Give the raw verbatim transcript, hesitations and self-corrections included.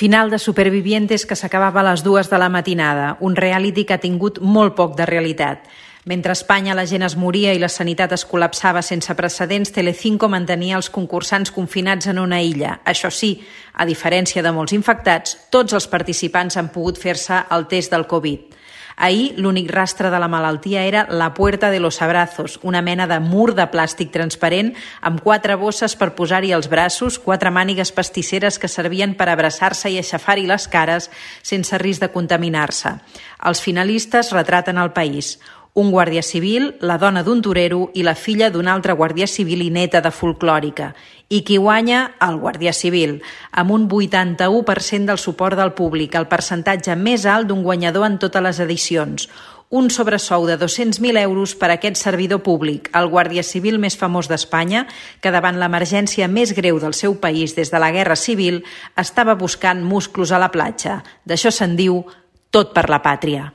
Final de Supervivientes, que s'acabava a les dues de la matinada, un reality que ha tingut molt poc de realitat. Mentre a Espanya la gent es moria i la sanitat es col·lapsava sense precedents, Telecinco mantenia els concursants confinats en una illa. Això sí, a diferència de molts infectats, tots els participants han pogut fer-se el test del Covid. Ahir, l'únic rastre de la malaltia era la Puerta de los Abrazos, una mena de mur de plàstic transparent amb quatre bosses per posar-hi els braços, quatre mànigues pastisseres que servien per abraçar-se i aixafar-hi les cares sense risc de contaminar-se. Els finalistes retraten el país. Un guàrdia civil, la dona d'un torero i la filla d'un altre guàrdia civil i neta de folclòrica. I qui guanya? El guàrdia civil, amb un vuitanta-u per cent del suport del públic, el percentatge més alt d'un guanyador en totes les edicions. Un sobresou de dos-cents mil euros per a aquest servidor públic, el guàrdia civil més famós d'Espanya, que davant l'emergència més greu del seu país des de la Guerra Civil estava buscant musclos a la platja. D'això se'n diu tot per la pàtria.